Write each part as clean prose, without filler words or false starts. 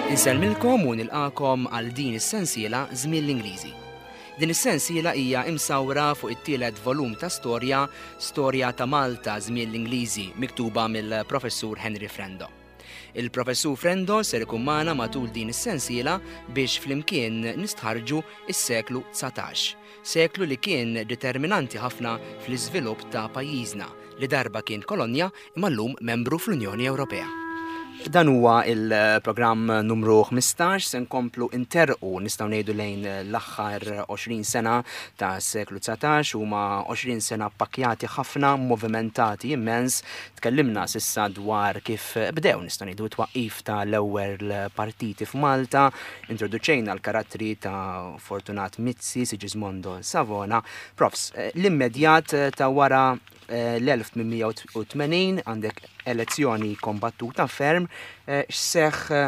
Insellmilkom u nilqakom għal din is-sensiela Żmien l-Ingliżi. Din is-sensiela hija imsawra fuq it-tielet volum ta' storja, Storja ta' Malta Żmien l-Ingliżi, miktuba mill-Professur Henry Frendo. Il-Professur Frendo ser ikun magħna matul din is-sensiela biex flimkien nistħarrġu s-seklu 19, seklu li kien determinanti ħafna fl-iżvilupp ta' pajjiżna li darba kien kolonja imma llum membru fl-Unjoni Ewropea. Dan huwa il-programm numru 15 se nkomplu interqu nistgħu ngħidu lejn l-aħħar 20 sena ta' seklu 19 huma 20 sena pakkjati ħafna, movimentati immens. Tkellimna s'issa dwar kif bdew nistgħu ngħidu t-twaqqif ta' l-ewwel partiti f'Malta, introduċejna l-karattri ta' Fortunat Mizzi, Sigismondo Savona. Profs, l-immedjat ta' wara l-1880 għandek elezzjoni kombattuta ferm, x'seħħ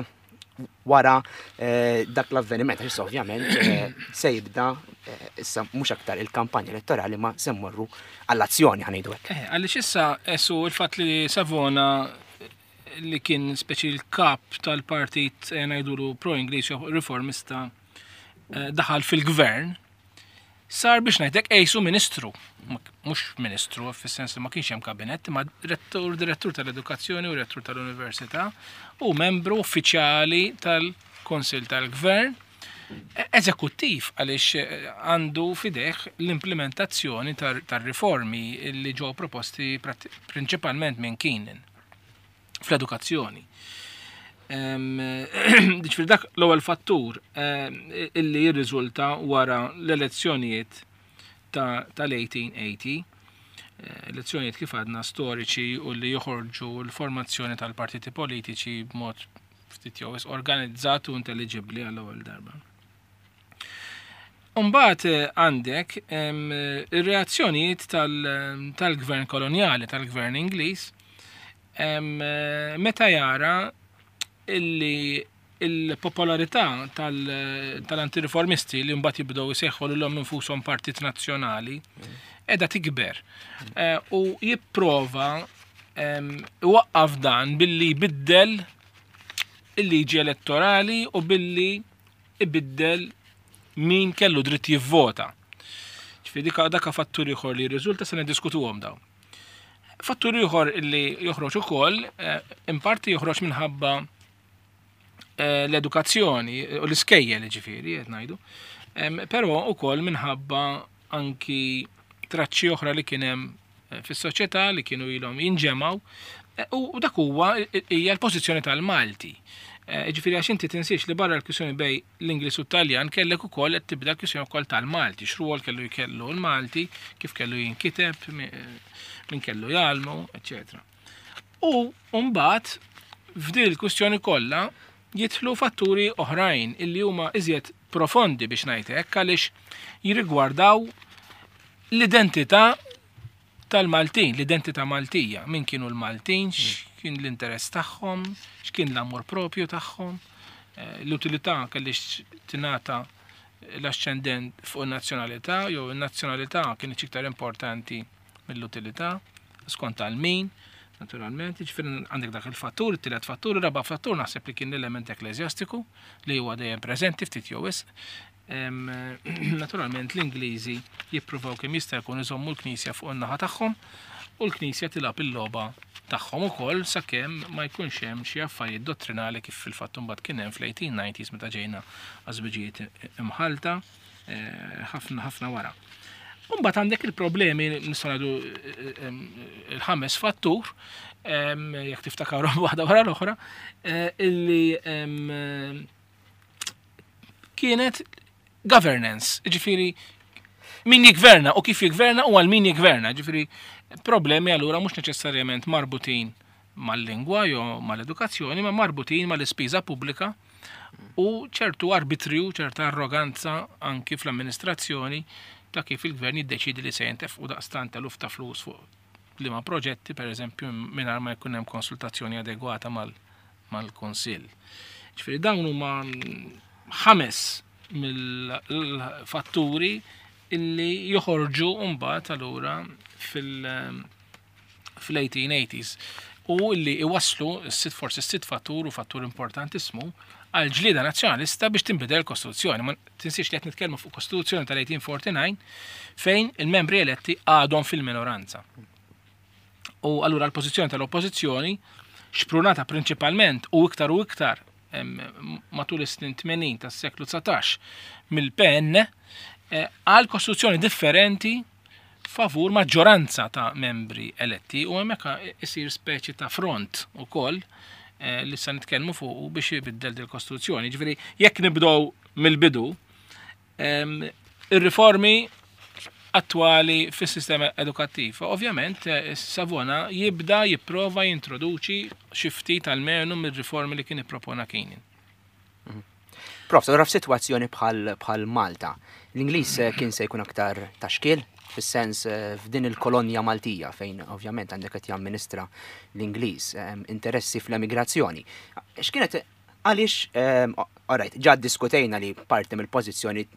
wara eh, dak l-avveniment, għax ovvjament eh, se jibda eh, issa mhux aktar il-kampanja elettorali ma se mmorru għall-azzjoni ħanejdu hekk. Għaliex issa esu il-fatt li Savona li kien speċi l-kap tal-partit ngħidulu pro-Ingliż riformista daħal fil-gvern Sar biex ngħidlek qisu ministru, mhux ministru fis-sens li ma kienx hemm kabinett, imma rettur, direttur tal-edukazzjoni u rettur tal-università u membru uffiċjali tal-Kunsill tal-Gvern e, eżekuttiv għaliex eh, għandu fideh l-implementazzjoni tar-riformi li ġew proposti prinċipalment minn Keenan. fl-edukazzjoni. Ġifieri dak l-ewwel fattur illi jirriżulta wara l-elezzjonijiet tal-1880, eh, elezzjonijiet kif għadna storiċi u li joħorġu l-formazzjoni tal-partiti politiċi b'mod ftit jew organizzat u intelliġibbli għall-ewwel darba. Umbagħad eh, għandek ir-reazzjonijiet tal-gvern kolonjali, tal-gvern Ingliż, eh, meta jara illi il-popolarità tal-antireformisti li mbagħad jibdew jseħħu lilhom infushom partit nazzjonali qiegħda tikber. Eh, u jipprova iwaqqaf dan billi jbiddel il-liġi elettorali u billi ibiddel min kellu dritt jivvota. Ġifieri dik dak fattur ieħor li jirriżulta se niddiskutuhom dawn. Fattur ieħor li joħroġ ukoll, eh, in parti joħroġ minħabba eh, l-edukazzjoni u l-iskejjel ġifieri qed ngħidu. Però ukoll minħabba anki traċċi oħra li kien hemm eh, fis-soċjetà li kienu ilhom jinġemgħu eh, u dak huwa hija l-pożizzjoni tal-Malti. Eh, ġifieri għax inti tinsiex li barra l-kwistjoni bej l-Ingliż u t-Taljan kellek ukoll qed tibda l-kwistjoni wkoll tal-Malti, x'rwol kellu jkellu l-Malti, kif kellu jinkiteb, min kellu jgħallmu, eċetera. U mbagħad f'din il-kwistjoni kollha jidħlu fatturi oħrajn illi huma iżjed profondi biex ngħid hekk għaliex jirrigwardaw l-identità tal-Maltin, l-identità Maltija, min kienu l-Maltin, x'kien l-interess tagħhom, x'kien l-amor propju tagħhom, eh, l-utilità kellix tingħata l-ascendent fuq in-nazzjonalità jew in-nazzjonalità kienet iktar importanti mill-utilità, skont għal min, naturalment, ġifieri għandek dak il-fattur, it-tielet fattur, ir-raba' fattur naħseb li kien l-element ekklesjastiku li huwa dejjem preżenti ftit jew wisq. Naturalment l-Ingliżi jippruvaw kemm jista' jkun iżommu l-Knisja fuq in-naħa tagħhom u l-Knisja tilgħab il-logħba tagħhom ukoll sakemm ma jkunx hemm xi affarijiet dottrinali kif fil-fatt imbagħad kien hemm fl-1890s meta ġejna għaż-żwiġijiet imħallta. Eh, ħafna ħafna wara. Umbat għandek il-problemi, nistgħu ngħidu eh, eh, il-ħames fattur, jekk tiftakarhom waħda wara l-oħra, illi kienet governance, ġifieri min jigverna u kif jigverna u għal min jigverna, ġifieri problemi allura mhux neċessarjament marbutin mal-lingwa jew mal-edukazzjoni, ma marbutin mal-ispiża pubblika u ċertu arbitrju, ċerta arroganza anki fl-amministrazzjoni ta' kif il-gvern jiddeċidi li se jintefqu daqstant eluf ta' flus fuq liema proġetti, per eżempju, mingħajr ma jkun hemm konsultazzjoni adegwata mal-Kunsill. Ġifieri dawn huma ħames mill-fatturi illi joħorġu mbagħad allura fil- fl-1880s u li iwasslu s-sitt forsi s-sitt fattur u fattur importantissimu għal ġlieda nazzjonalista biex tinbidel il-Kostituzzjoni. Ma tinsiex li qed nitkellmu fuq Kostituzzjoni tal-1849 fejn il-membri eletti għadhom fil-minoranza. U allura l-pożizzjoni tal-oppożizzjoni xprunata prinċipalment u iktar u iktar matul is-snin 80 tas-seklu 19 mill-PN eh, għal kostituzzjoni differenti favur maġġoranza ta' membri eletti u hemmhekk isir speċi ta' front ukoll eh, li sa nitkellmu fuq biex ibiddel dil kostituzzjoni. Ġifieri jekk nibdew mill-bidu, ir-riformi attwali fis-sistema edukattiva. Ovvjament, eh, Savona jibda jipprova jintroduċi xi ftit almenu mir-riformi li kien ippropona Keenan. Prof, allura f'sitwazzjoni bħal bħal Malta, l-Ingliż eh, kien se jkun aktar ta' xkiel, fis-sens eh, f'din il-kolonja Maltija fejn ovvjament għandek qed jamministra l-Ingliż, eh, interessi fl-emigrazzjoni. X'kienet għaliex, alright, ġa diskutejna li parti mill-pożizzjoni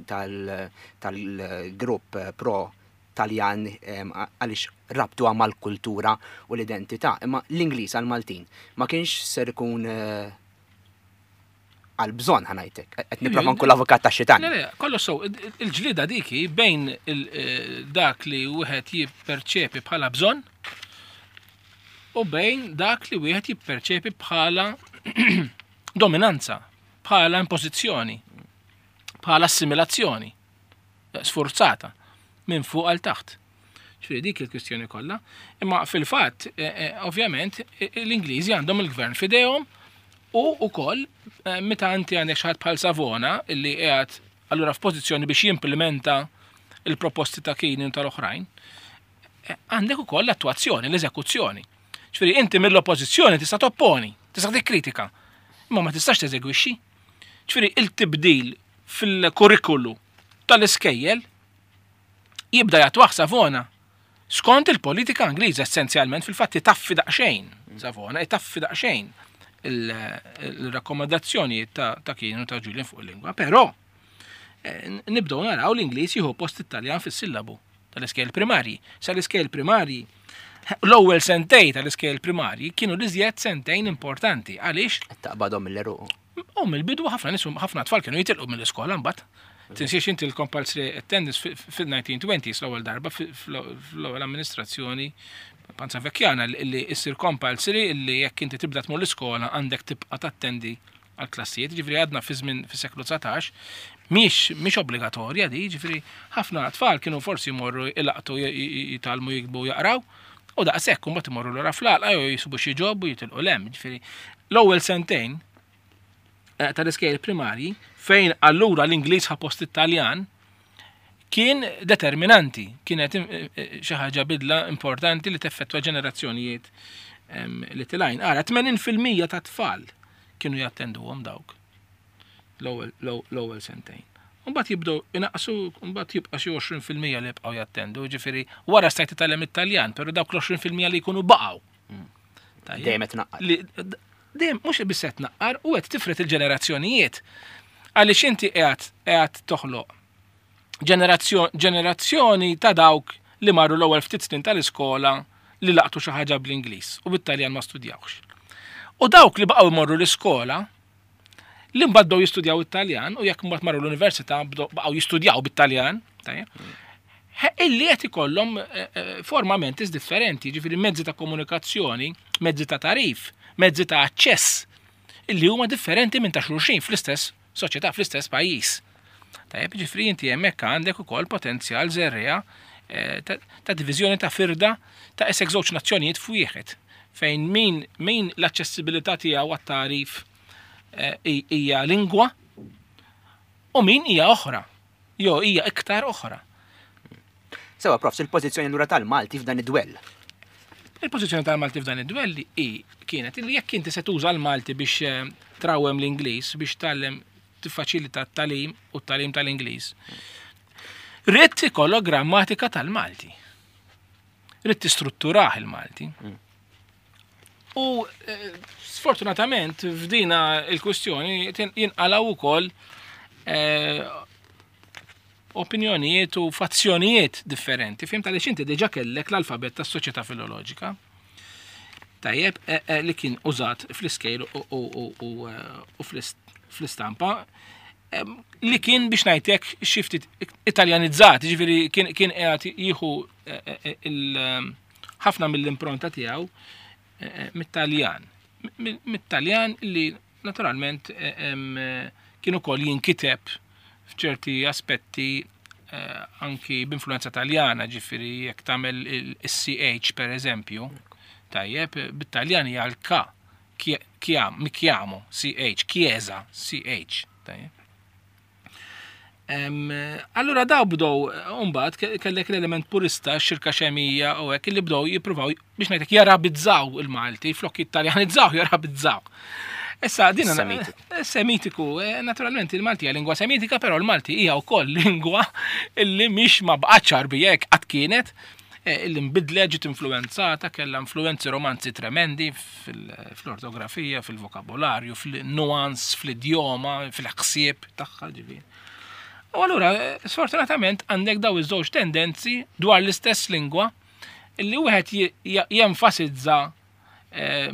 tal-grupp pro Taljan għaliex rabtuha mal-kultura u l-identità, imma l-Ingliż għal-Maltin ma kienx ser ikun għal bżonn ħa ngħidlek. Qed nipprova nkun l-avukat ta' xitan. Le, le, kollu so, il-ġlida diki bejn dak li wieħed jipperċepi bħala bżonn u bejn dak li wieħed jipperċepi bħala dominanza, bħala impożizzjoni, bħala assimilazzjoni sforzata minn fuq għal taħt. Ġifieri dik il-kwistjoni kollha. Imma fil-fatt, eh, eh, ovvjament, eh, l-Ingliżi għandhom il-gvern f'idejhom u wkoll meta inti għandek xi ħadd bħal Savona illi qiegħed allura f'pożizzjoni biex jimplementa il-proposti ta' Keenan u tal-oħrajn, għandek ukoll l-attwazzjoni, l-eżekuzzjoni. Ġifieri inti mill-oppożizzjoni tista' topponi, tista' tikkritika, imma ma tistax teżegwixxi. Ġifieri il-tibdil fil-kurrikulu tal-iskejjel jibda jattwah Savona skont il-politika Ingliża essenzjalment fil-fatt itaffi daqsxejn Savona, itaffi daqsxejn il-rakkomandazzjonijiet ta' Keenan u ta' Julian fuq il-lingwa, però eh, nibdew naraw l-Ingliż jieħu post it-Taljan fis-sillabu tal-iskejjel primarji. Sa l-iskejjel primarji l-ewwel sentej tal-iskejjel primarji kienu l-iżjed sentejn importanti. Għaliex? Taqbadhom mill-eruq. U mill-bidu ħafna nies ħafna tfal kienu jitilqu mill-iskola mbagħad. Tinsiex inti l-compulsory attendance fil-1920s l-ewwel darba fl-ewwel amministrazzjoni Panzavecchiana li issir compulsory li jekk inti tibda tmur l-iskola għandek tibqa' tattendi għal klassijiet, ġifieri għadna fi żmien fis-seklu 19, mhix mhix obbligatorja di, ġifieri ħafna tfal kienu forsi jmorru ilaqtu jitgħallmu jiktbu u jaqraw, u daqshekk imbagħad imorru lura fl-għalqa jew jisibu xi job u jitilqu 'l hemm. Ġifieri l-ewwel sentejn eh, tal-iskejjel primarji fejn allura l-Ingliż ħa post it-Taljan kien determinanti, kienet eh, eh, xi ħaġa bidla importanti li teffettwa ġenerazzjonijiet li tilajn. Ara, 80% ta' tfal kienu jattenduhom dawk l-ewwel sentejn. Mbagħad jibdew inaqsu, mbagħad jibqa' xi 20% li jibqgħu jattendu, ġifieri wara stajt titgħallem it-Taljan, però dawk l-20% li jkunu baqgħu. Tajjeb. Dejjem qed tnaqqar. Dejjem mhux biss qed tnaqqar u qed tifred il-ġenerazzjonijiet. Għaliex inti qiegħed qiegħed toħloq ġenerazzjoni ta' dawk li marru l-ewwel ftit snin tal-iskola li laqtu xi ħaġa bl-Ingliż u bit-Taljan ma studjawx. U dawk li baqgħu jmorru l-iskola li mbagħad bdew jistudjaw it-Taljan u jekk mbagħad marru l-università baqgħu jistudjaw bit-Taljan, illi qed ikollhom eh, eh, forma mentis differenti, ġifieri mezzi ta' komunikazzjoni, mezzi ta' tarif, mezzi ta' aċċess illi huma differenti minn ta' xulxin fl-istess soċjetà, fl-istess pajjiż. Tajjeb, ġifieri inti hemmhekk għandek ukoll potenzjal żerriegħa eh, ta' diviżjoni ta' firda ta' isek żewġ nazzjonijiet f'wieħed fejn min, min l-aċċessibilità tiegħu għat-tarif hija lingwa u min hija oħra. Jo hija iktar oħra. Sewa, profs, il-pożizzjoni lura tal-Malti f'dan id-dwell. Il-pożizzjoni tal-Malti f'dan id-dwell hi kienet li jekk inti se tuża l-Malti biex eh, trawem l-Ingliż, biex tgħallem tiffaċilita t-tagħlim u t-tagħlim tal-Ingliż. Ridt ikollok grammatika tal-Malti. Ridt tistrutturah il-Malti. Mm. U eh, sfortunatament f'dina il-kwistjoni jinqalaw ukoll eh, opinjonijiet u fazzjonijiet differenti. Fim tal inti diġa kellek l-alfabet tas-soċjetà filoloġika. Tajjeb, eh, li kien użat fl-iskejl u fl-istampa li kien biex ngħidlek xi ftit Italjanizzat, ġifieri kien qiegħed jieħu eh, eh, ħafna mill-impronta tiegħu eh, mit-Taljan. Mit-Taljan li naturalment kien ukoll jinkiteb f'ċerti aspetti anki b'influenza Taljana, ġifieri jekk tagħmel il-CH per eżempju, tajjeb, bit-Taljan hija l-K Chiam, mi chiamo, CH, Chiesa, CH. Allura daw bdow, mbagħad kellek l-element purista, xirka xemija u hekk li bdow jippruvaw biex ngħidlek jarabizzaw il-Malti, flok jittaljanizzaw, jarabizzaw. Issa din Semitiku. Eh, semitiku, eh, naturalment il-Malti hija lingwa semitika, però l-Malti hija wkoll lingwa illi mhix ma bqgħetx Għarbija hekk qatt kienet, Eh, illi nbidlet ġiet influenzata, kellha influenzi romanzi tremendi fl-ortografija, fil-vokabolarju, fil-nuans, fl-idjoma, fil-ħsieb tagħha ġifieri. U allura, eh, sfortunatament, għandek daw iż-żewġ tendenzi dwar l-istess lingwa illi wieħed jenfasizza eh,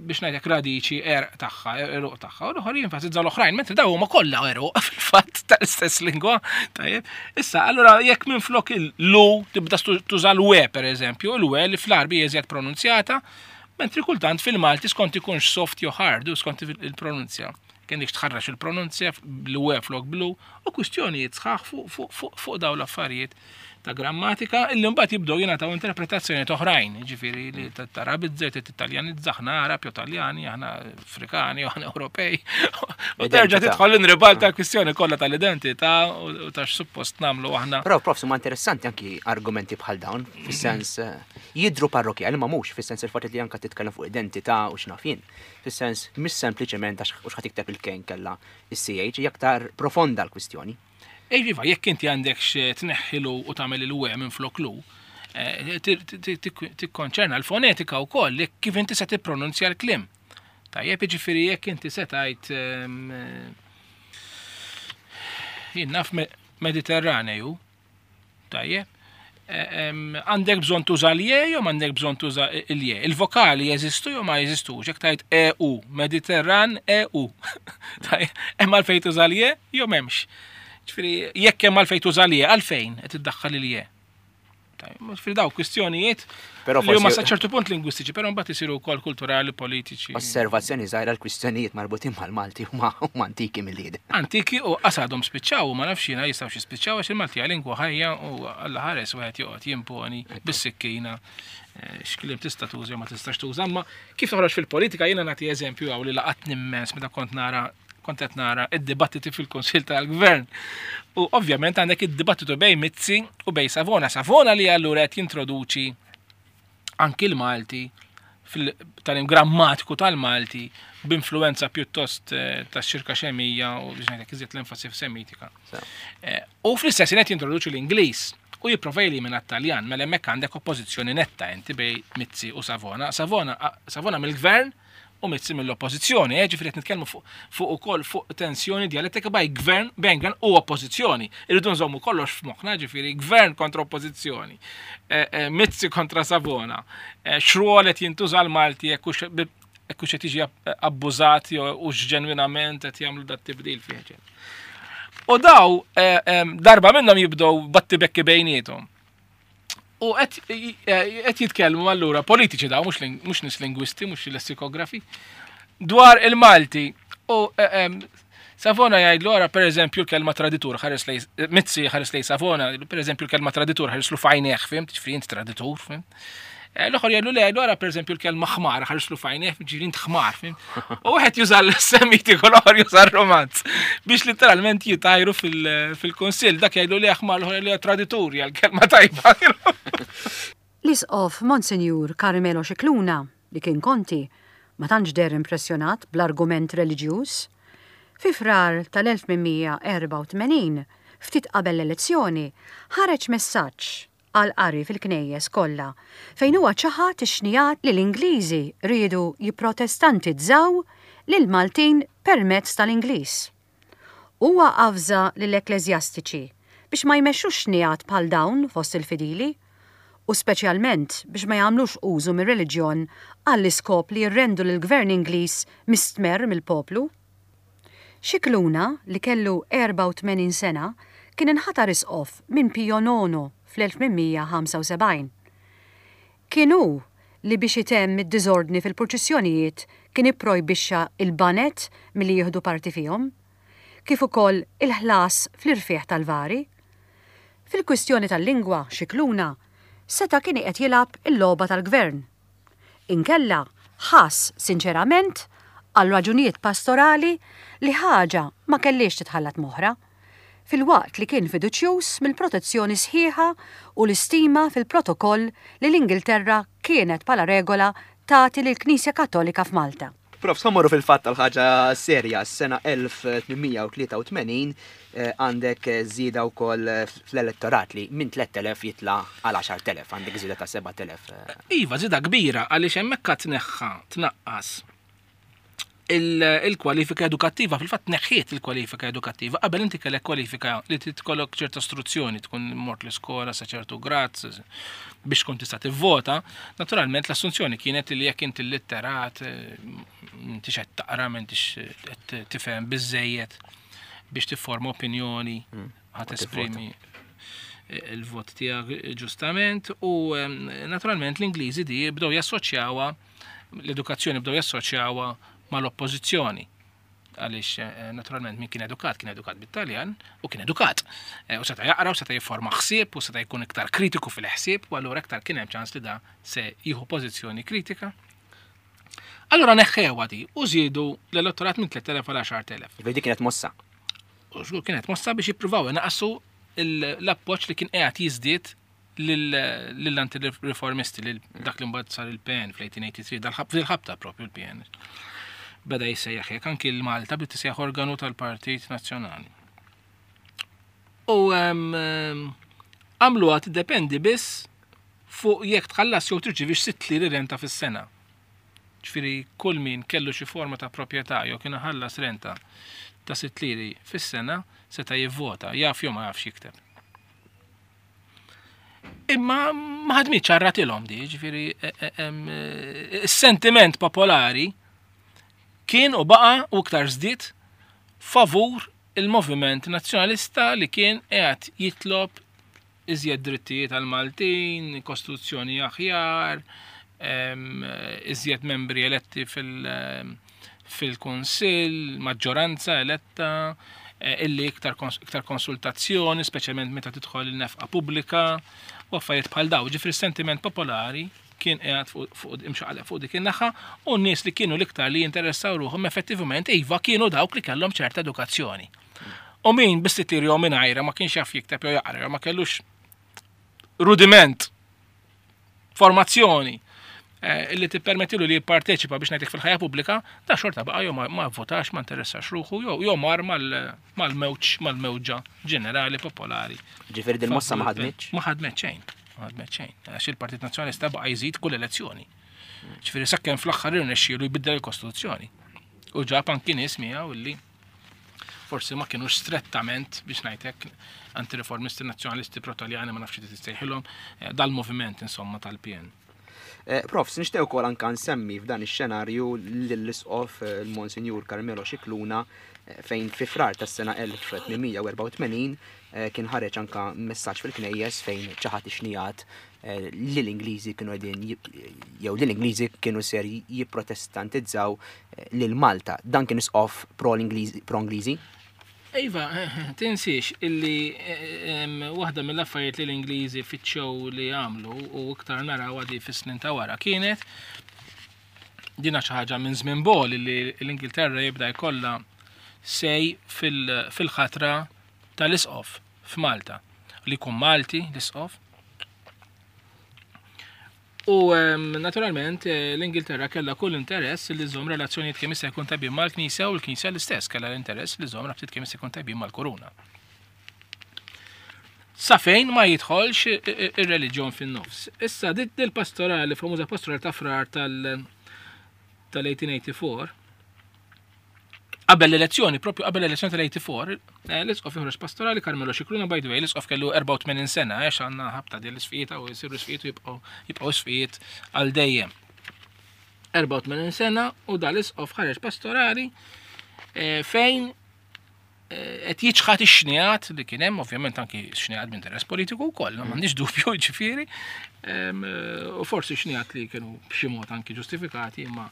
biex ngħidlek radiċi erq tagħha, eruq tagħha, u l-oħor jinfasizza l-oħrajn, mentri daw huma kollha eruq fil-fatt tal-istess lingwa. Tajjeb. Issa, allura jekk minflok il-lu tibda tuża l-we pereżempju, il-we li fl-Arbi jeżjed pronunzjata, mentri kultant fil-Malti skont ikunx soft jew hard u skont il-pronunzja. Kennik tħarrax il-pronunzja bl-we flok blu u kwistjonijiet sħaħ fuq daw l-affarijiet ta' grammatika illi mbagħad jibdew jingħataw interpretazzjonijiet oħrajn, jiġifieri li tarabizza, titaljanizza, aħna Arab jew Taljani, aħna Afrikani, aħna Ewropej. U terġa' tidħol inribalta l-kwistjoni kollha tal-identità u ta' x'suppost nagħmlu aħna. Però prof, huma interessanti anki argumenti bħal dawn, fis-sens eh, jidhru parrokjali ma mhux, fis-sens il-fatt li anka titkellem fuq identità u x'naf jien. Fis-sens mhix sempliċement għax hux ħa tikteb il-K inkella is-CH, hija aktar profonda l-kwistjoni. Iva, jekk inti għandek tneħħi l u tagħmel il-we minn flok lu, eh, tikkonċerna l-fonetika wkoll kif inti se tippronunzja l-kliem. Tajjeb, jiġifieri jekk inti se tgħid ehm, eh, jien naf Mediterraneju, Tajjeb. Eh, għandek bżonn tuża l-je jew m'għandek bżonn tuża l-je. Il-vokali jeżistu jew ma jeżistux. Jekk tgħid EU, Mediterran EU. Hemm għalfejn tuża l-je jew m'hemmx. Ġifieri jekk hemm għalfejn tuża l-je, għalfejn qed iddaħħal il-je. Ġifieri daw kwistjonijiet Però li huma sa ċertu punt lingwistiċi, però mbagħad isiru wkoll kulturali, politiċi. Osservazzjoni żgħira l-kwistjonijiet marbutin mal-Malti huma antiki mill-lied. Antiki u qasadhom spiċċaw u ma nafx jiena jistgħu xi spiċċaw għax il-Malti hija lingwa ħajja u Alla ħares wieħed joqgħod jimponi bis-sikkina eh, x'kliem tista' tuża ma tistax tuża, imma kif toħroġ fil-politika jiena nagħti eżempju hawn li laqatni immens meta kont nara kont qed nara id-dibattiti fil-Kunsill tal-Gvern. U ovvjament għandek id-dibattitu bejn Mizzi u bejn Savona. Savona li allura qed jintroduċi anki l-Malti fil-talim grammatiku tal-Malti b'influenza pjuttost eh, ta' xirka xemija u biex ngħidlek iżjed l-enfasi f'semitika. Eh, u fl-istess qed jintroduċi l-Ingliż u jipprova jelimina t-Taljan, mela hemmhekk għandek oppożizzjoni netta inti bejn Mizzi u Savona. Savona, Savona mill-gvern u Mizzi mill-oppożizzjoni, eh, ġifieri qed nitkellmu fuq ukoll fuq tensjoni djalettika bej gvern, bejn gvern u oppożizzjoni. Irridu nżommu kollox f'moħħna, ġifieri gvern kontra oppożizzjoni, eh, eh, Mizzi kontra Savona, x'rwol qed jintuża l-Malti jekk hux qed jiġi abbużat jew hux ġenwinament qed jagħmlu dat tibdil fih. U daw darba minnhom jibdew battibekki bejniethom. U qed jitkellmu allura politiċi daw, mhux nies lingwisti, mhux lessikografi, dwar il-Malti. U eh, Savona jgħidlu ara per eżempju l-kelma traditur ħares lej Mizzi ħares lej Savona, per eżempju l-kelma traditur ħareslu fajneħ, fimt, ġifieri int traditur, fimt. Eh, l-oħor jgħidlu le, jgħidlu ara per eżempju l-kelma ħmar, ħareslu fajneħ, ġifieri int ħmar, fimt. U wieħed juża l-semitiku, l-oħor juża r-romanz biex literalment jitajru fil-kunsill. Dak jgħidu li aħmar l-oħor li traditur kelma tajba. L-Isqof Monsinjur Carmelo Scicluna, li kien konti, ma tantx deher impressjonat bl-argument reliġjuż. Fi Frar tal-1884, ftit qabel l-elezzjoni, ħareġ messaġġ għall-qari fil-knejjes kollha, fejn huwa ċaħad ix-xnigħat li l-Ingliżi riedu jipprotestantizzaw lill-Maltin permezz tal-Ingliż. Huwa avża lill-ekkleżjastiċi biex ma jmexxux xnigħat bħal dawn fost il-fidili, u speċjalment biex ma jagħmlux użu mir-reliġjon għall-iskop li jirrendu lill-gvern Ingliż mistmerr mill-poplu. Scicluna, li kellu 84 sena, kien inħatar isqof minn Pio Nono fl-1875. Kien hu li biex itemm id-diżordni fil-purċissjonijiet kien ipprojbixxa l-baned milli jieħdu parti fihom, kif ukoll il-ħlas fl-irfigħ tal-vari. Fil-kwistjoni tal-lingwa, Scicluna seta' kien qiegħed jilgħab il-logħba tal-gvern. Inkella ħass sinċerament, għal raġunijiet pastorali, li ħaġa ma kellhiex titħallat m'oħra, filwaqt li kien fiduċjuż mill-protezzjoni sħiħa u l-istima fil-protokoll li l-Ingilterra kienet bħala regola tagħti lill-Knisja Kattolika f'Malta. Profs, ħa mmorru fil-fatt għal ħaġa serja, s-sena 1883 għandek żieda wkoll fl-elettorat li minn 3,000 jitla' għal 10,000, għandek żieda ta' 7,000. Iva, żieda kbira għaliex hemmhekk għad tneħħa, tnaqqas il-kwalifika edukattiva, fil-fatt neħħiet il-kwalifika edukattiva, qabel inti kellek kwalifika li titkollok ċerta istruzzjoni, tkun mort l-iskola sa ċertu grad biex tkun tista' tivvota, naturalment l-assunzjoni kienet li jekk inti litterat, eh, m'intix qed taqra, m'intix qed tifhem biżejjed biex tifforma opinjoni, mm, ħa tesprimi il-vot tiegħek ġustament u eh, naturalment l-Ingliżi di bdew jassoċjawha l-edukazzjoni bdew jassoċjawha mal-oppożizzjoni għaliex eh, naturalment min kien edukat kien edukat bit-Taljan u kien edukat. Eh, u seta' jaqra u seta' jifforma ħsieb u seta' jkun iktar kritiku fil-ħsieb u allura iktar kien hemm ċans li da se jieħu pożizzjoni kritika. Allura neħħewha di u żiedu l-elettorat minn 3000 għal 10,000. Ġifieri kienet mossa. U żgur kienet mossa biex jippruvaw inaqsu l-appoġġ li kien qiegħed jiżdied lill-anti-riformisti, lil dak li mbagħad sar il-PN fl-1883, dal-ħabta propju l-PN. Beda jissejjaħ hekk anki l-Malta bdiet tisejjaħ organu tal-Partit Nazzjonali. U għamluha tiddependi biss fuq jekk tħallas jew tirċivix sitt liri renta fis-sena. Ġifieri kull min kellu xi forma ta' proprjetà jew kien iħallas renta ta' sitt liri fis-sena seta' jivvota, jaf jew ma jafx jikteb. Imma ma ħadmitx għarratilhom di, ġifieri e, e, e, is-sentiment popolari kien u baqa' u iktar żdied favur il-moviment nazzjonalista li kien qiegħed jitlob iżjed drittijiet għal Maltin, kostituzzjoni aħjar, iżjed membri eletti fil- fil-Kunsill, maġġoranza eletta, eh, illi iktar, iktar konsultazzjoni, speċjalment meta tidħol il-nefqa pubblika, u affarijiet bħal daw. Ġifri sentiment popolari kien qiegħed fuq imxaqleb fuq dik in-naħa u n-nies li kienu l-iktar li jinteressaw ruħhom effettivament iva kienu dawk li kellhom ċerta edukazzjoni. U min bis-sittir jew mingħajra ma kienx jaf jikteb jew jaqra jew ma kellux rudiment formazzjoni eh, li tippermettilu li jipparteċipa biex ngħidlek fil-ħajja pubblika, da xorta baqa' jew ma votax, ma interessax ruħu, jew mar mal-mewġ, mal-mewġa ġenerali popolari. Ġifieri din mossa ma ħadmitx? Ma ħadmet xejn, ma ħadmet xejn. Għax il-Partit Nazzjonalista baqa' jżid kull elezzjoni. Ġifieri sakemm fl-aħħar irnexxielu jbiddel il-Kostituzzjoni. U ġab anki nies miegħu illi forsi ma kienux strettament biex ngħidlek antireformisti nazzjonalisti protaljani ma nafx tistejħilhom eh, dal-moviment insomma tal-PN. Eh, Prof, nixtieq ukoll anka nsemmi f'dan ix-xenarju lill-isqof eh, il-Monsinjur Carmelo Scicluna fejn fi frar tas-sena 1884 kien ħareġ anka messaġġ fil-knejjes fejn ċaħat ix-xnijat Eh, li l-Ingliżi kienu qegħdin jew li l-Ingliżi kienu ser jipprotestantizzaw eh, lil Malta. Dan kien isqof pro-Ingliżi? Iva, tinsiex illi waħda mill-affarijiet li l-Ingliżi fittxew li għamlu u iktar naraw għadi fis-snin ta' wara kienet dina xi ħaġa minn żmien bol li l-Ingilterra jibda jkollha sej fil-ħatra tal-isqof f'Malta li jkun Malti l-isqof. U naturalment eh, l-Ingilterra kellha kull interess li żomm relazzjonijiet kemm jista' jkun tajbin mal-Knisja u l-Knisja l-istess kellha l-interess li żomm rabtiet kemm jista' jkun tajbin mal-Kuruna. Sa fejn ma jidħolx eh, eh, ir-reliġjon fin-nofs. Issa dit il-pastorali, famuża pastorali ta' frar tal-1884, Qabel l-elezzjoni, propju qabel l-elezzjoni tal-84, eh, l-isqof joħroġ pastorali Carmelo Scicluna, by the way, l-isqof kellu 84 sena, għax għandna ħabta din l-isfijiet u jisiru isfijiet u jibqgħu jibqgħu isfijiet għal dejjem. 84 sena u dal-isqof ħareġ pastorali eh, fejn Qed jiċħad ix-xnigħat li kien hemm, ovvjament anki xnigħat b'interess politiku wkoll, m'għandix dubju ġifieri, u forsi xnigħat li kienu b'xi mod anki ġustifikati, imma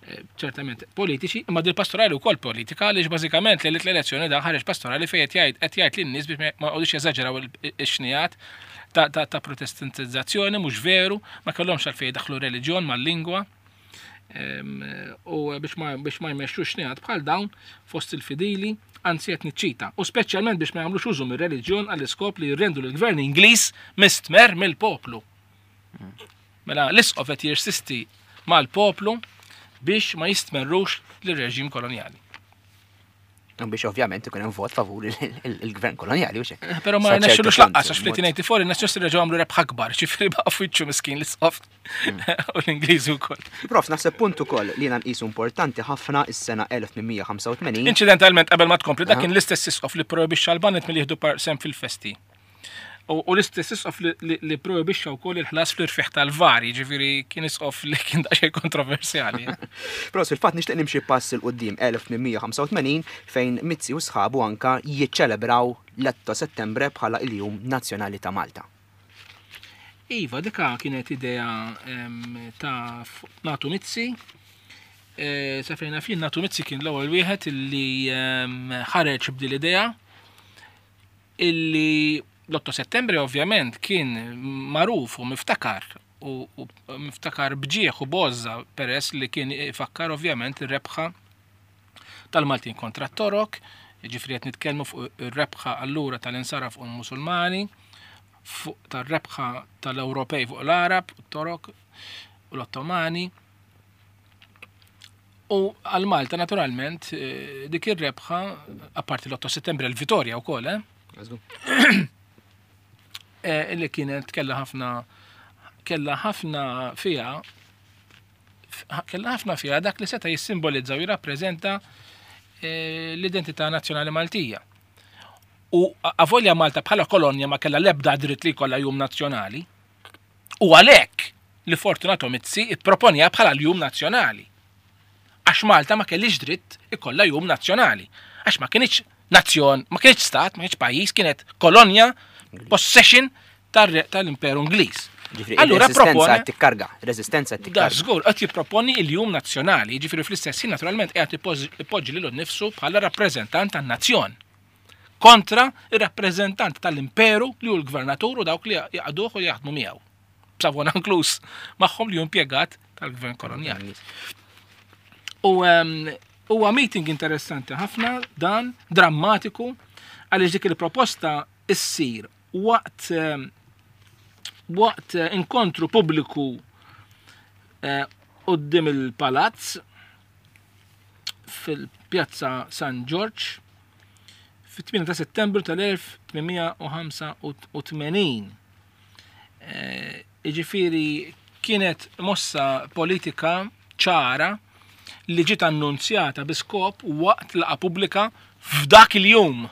eh, ċertament politiċi, imma dil pastorali wkoll politika għaliex bażikament li l-elezzjoni da ħareġ pastorali fejn qed jgħid qed jgħid lin-nies biex ma jqogħdux jeżaġeraw ix-xnigħat ta' protestantizzazzjoni mhux veru, ma kellhomx għalfejn daħlu reliġjon mal-lingwa. U biex ma biex ma jmexxux xnigħat bħal dawn fost il-fidili, anzi qed niċċita, u speċjalment biex ma jagħmlux użu mir-reliġjon għall-iskop li jirrendu lill-gvern Ingliż mistmerr mill-poplu. Mela l-isqof qed jirsisti mal-poplu biex ma jistmerrux lir-reġim kolonjali. Biex ovvjament ikun hemm vot favur il-gvern kolonjali u xek. Eh, però ma rnexxilux laqqas għax fl-1884 in-nazzjonisti reġgħu għamlu rebħa akbar, ġifieri baqa' fwiċċu miskin l-isqof hmm. u l-Ingliżi wkoll. Prof, naħseb punt ukoll li jiena nqisu importanti ħafna is-sena 1885. Inċidentalment qabel ma tkompli dak kien l-istess isqof li projbixxa l-banet milli jieħdu sem fil-festi. U l-istess isqof li projbixxa wkoll il-ħlas fl-irfieħ tal-var, jiġifieri kien isqof li kien daqsxejn kontroversjali. Però fil-fatt nixtieq nimxi pass 'il quddiem 1885 fejn Mizzi u sħabu anka jiċċelebraw l-8 Settembre bħala il-Jum Nazzjonali ta' Malta. Iva, dika kienet idea ta' Natu Mizzi. E, sa fejn naf jien Natu Mizzi kien l-ewwel wieħed li ħareġ b'dil idea Illi l-8 Settembri ovvjament kien magħruf u miftakar u miftakar bġieħ u b'għożża peress li kien ifakkar ovvjament ir-rebħa tal-Maltin kontra t-Torok, ġifri qed nitkellmu fuq ir-rebħa allura tal-insara fuq il-Musulmani, fuq tar-rebħa tal-Ewropej fuq l-Arab, t-Torok u l-Ottomani. U għal Malta naturalment eh, dik ir-rebħa apparti l-8 Settembru l-Vitorja wkoll, eh? eh? Li kienet kellha ħafna kellha ħafna fiha kellha ħafna fiha dak li seta' jissimbolizza u jirrappreżenta eh, l-identità nazzjonali Maltija. U avolja Malta bħala kolonja ma kellha l-ebda dritt li jkollha jum nazzjonali, U għalhekk li Fortunato Mizzi pproponiha bħala l-Jum Nazzjonali. Għax Malta ma kellhiex dritt ikollha Jum Nazzjonali. Għax ma kinitx nazzjon, ma kinitx stat, ma kinitx pajjiż, kienet kolonja, possession tal-Imperu Ingliż. Allura propone tikkarga, reżistenza tikkarga. Da żgur qed jipproponi l-Jum Nazzjonali, jiġifieri fl-istess ħin naturalment qiegħed ipoġġi lilu nnifsu bħala rappreżentant tan-nazzjon. kontra r-rappreżentant tal-imperu li hu l-gvernatur u dawk li jaqduh u jaħdmu miegħu. B'Savona inkluż magħhom li hu impjegat tal-gvern kolonjali. U ehm, huwa meeting interessanti ħafna dan, drammatiku, għaliex dik il-proposta issir waqt ehm, waqt eh, inkontru pubbliku eh, qudiem il-palazz fil-Pjazza San Ġorġ fit-8 ta' Settembru tal-1885. Eh, jiġifieri kienet mossa politika ċara li ġiet annunzjata bi skop waqt laqa pubblika f'dak il-jum.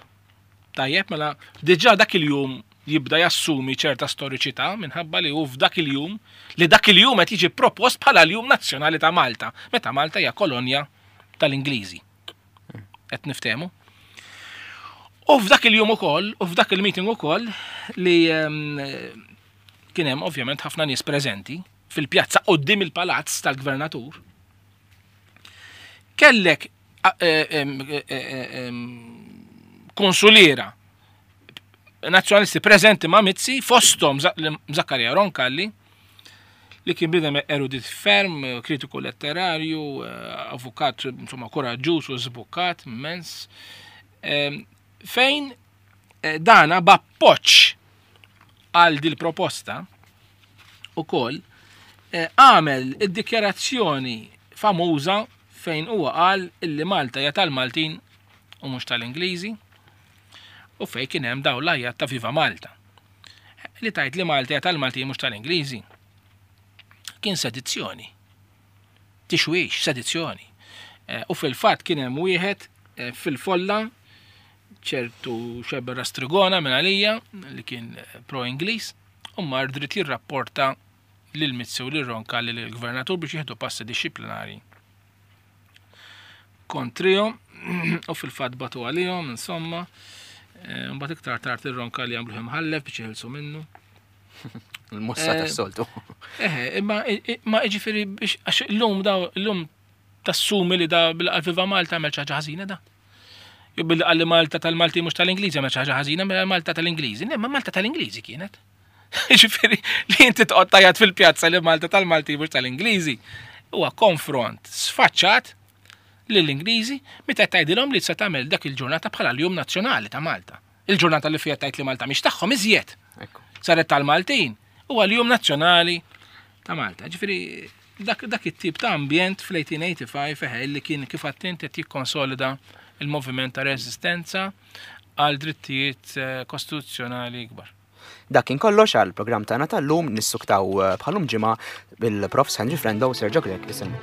Tajjeb, mela diġà dak il-jum jibda jassumi ċerta storiċità minħabba li hu f'dak il-jum li dak il-jum qed jiġi propost bħala l-Jum Nazzjonali ta' Malta, meta Malta hija kolonja tal-Ingliżi. Qed niftehmu? U f'dak il-jum ukoll, u f'dak il-meeting ukoll li ehm, kien hemm ovvjament ħafna nies preżenti fil-pjazza quddiem il-palazz tal-gvernatur. Kellek eh, ehm, eh, ehm, konsuliera nazzjonalisti preżenti ma' Mizzi fosthom Zakkarija Roncalli li kien bidem erudit ferm, kritiku letterarju, eh, avukat insomma koraġġuż u żbukkat immens, ehm, fejn eh, dana b'appoġġ għal dil proposta ukoll eh, għamel id-dikjarazzjoni famuża fejn huwa qal illi Malta hija tal-Maltin u mhux tal-Ingliżi u fejn kien hemm dawn l-għajjat ta' Viva Malta. Li tajt li Malta hija tal-Maltin mhux tal-Ingliżi. Kien sedizzjoni. Tixwix, sedizzjoni. Eh, u fil-fatt kien hemm wieħed eh, fil-folla ċertu xeber Rastrigona minn għalija li kien eh, pro-Ingliż u mar dritt jirrapporta lil Mizzi u lil Ronka lil gvernatur biex jieħdu passi dixxiplinari kontrihom. U fil-fatt batu għalihom, insomma. Eh, mbagħad iktar tard ir-Roncalli għamluh imħallef biex jeħilsu minnu. Il-mossa eh, tas-soltu. Eh, imma ma jiġifieri biex għax illum daw illum tassumi li da bil-Viva Malta għamel xi ħaġa ħażina da. Jew billi qalli Malta tal-Malti mhux tal-Ingliżi għamel xi ħaġa ħażina, mela Malta tal-Ingliżi. Le, ma Malta tal-Ingliżi kienet. Ġifieri li inti toqgħod tajjat fil-pjazza li Malta tal-Malti mhux tal-Ingliżi. Huwa konfront sfaċċat lill-Ingliżi meta tgħidilhom li se tagħmel dak il-ġurnata bħala l-Jum Nazzjonali ta' Malta. Il-ġurnata li fiha tgħid li Malta mhix tagħhom iżjed. Saret tal-Maltin huwa l-Jum Nazzjonali ta' Malta. Ġifieri dak, dak it-tip ta' ambjent fl-1885 eħe li kien kif għattint qed jikkonsolida il-moviment ta' reżistenza għal drittijiet eh, kostituzzjonali ikbar. Dak kien kollox għal programm tagħna tal-lum nissuktaw eh, bħalum ġimgħa bil-Profs Henry Frendo u Sergio Grek isem.